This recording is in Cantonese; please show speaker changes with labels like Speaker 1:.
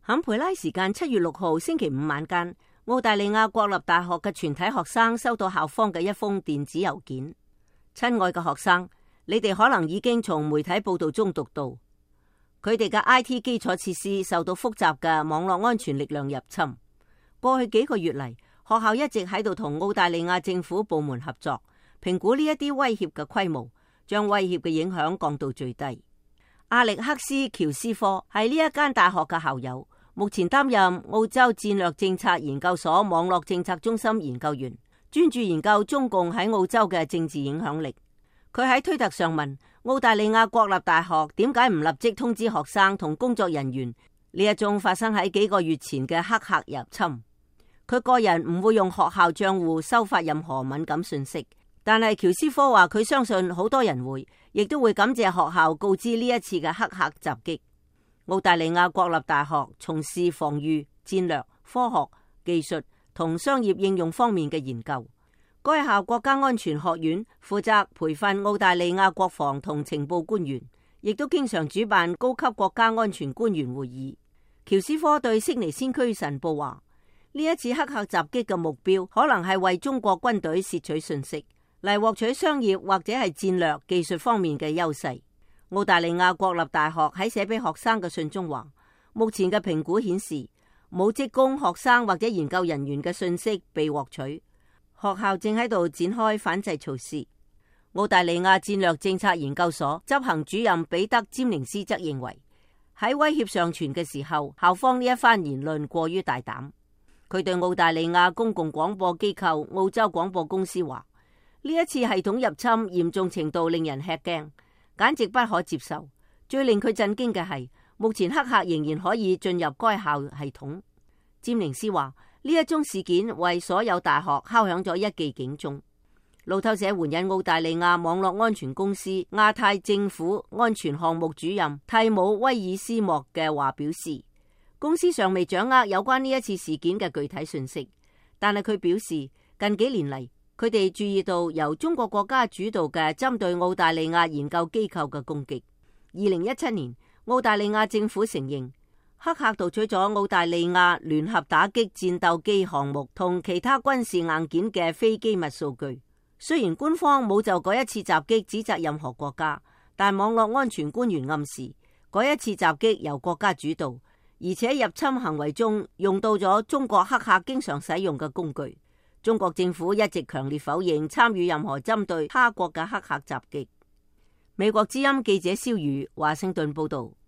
Speaker 1: 坎培拉時間7月6號星期五晚間，澳大利亞國立大學嘅全體學生收到校方嘅一封電子郵件。親愛嘅學生，你哋可能已經從媒體報道中讀到，佢哋嘅 IT 基礎設施受到複雜嘅網絡安全力量入侵。過去幾個月嚟，學校一直喺度同澳大利亞政府部門合作，評估呢一啲威脅嘅規模，將威脅嘅影響降到最低。阿力克斯喬斯科係呢一間大學嘅校友，目前擔任澳洲戰略政策研究所網絡政策中心研究員，專注研究中共喺澳洲嘅政治影響力。佢喺推特上問澳大利亞國立大學點解唔立即通知學生同工作人員呢一宗發生喺幾個月前嘅黑客入侵。佢個人唔會用學校賬戶收發任何敏感信息，但係喬斯科話佢相信好多人會，亦都會感謝學校告知呢一次嘅黑客襲擊。澳大利亞國立大學從事防禦、戰略、科學、技術同商業應用方面嘅研究。該校國家安全學院負責培訓澳大利亞國防同情報官員，亦都經常主辦高級國家安全官員會議。喬斯科對悉尼先驅晨報話：呢一次黑客襲擊嘅目標可能係為中國軍隊竊取信息，嚟獲取商業或者係戰略技術方面嘅優勢。澳大利亞國立大學喺寫俾學生嘅信中話，目前嘅評估顯示冇職工、學生或者研究人員嘅信息被獲取。學校正喺度展開反制措施。澳大利亞戰略政策研究所執行主任彼得·詹寧斯則認為，喺威脅尚存嘅時候，校方呢一番言論過於大膽。佢對澳大利亞公共廣播機構澳洲廣播公司話，呢一次系統入侵嚴重程度令人吃驚，簡直不可接受。最令佢震驚嘅係，目前黑客仍然可以進入該校系統。詹寧斯話，呢一宗事件為所有大學敲響咗一記警鐘。路透社援引澳大利亞網絡安全公司亞太政府安全項目主任蒂姆威爾斯莫嘅話表示，公司尚未掌握有關呢一次事件嘅具體信息，但係佢表示近幾年嚟，佢哋注意到由中國國家主導嘅針對澳大利亞研究機構嘅攻擊。2017年，澳大利亞政府承認黑客盜取咗澳大利亞聯合打擊戰鬥機項目同其他軍事硬件嘅非機密數據。雖然官方冇就嗰一次襲擊指責任何國家，但網絡安全官員暗示嗰一次襲擊由國家主導，而且入侵行為中用到咗中國黑客經常使用嘅工具。中國政府一直強烈否認參與任何針對他國嘅黑客襲擊。美國之音記者蕭宇華盛頓報道。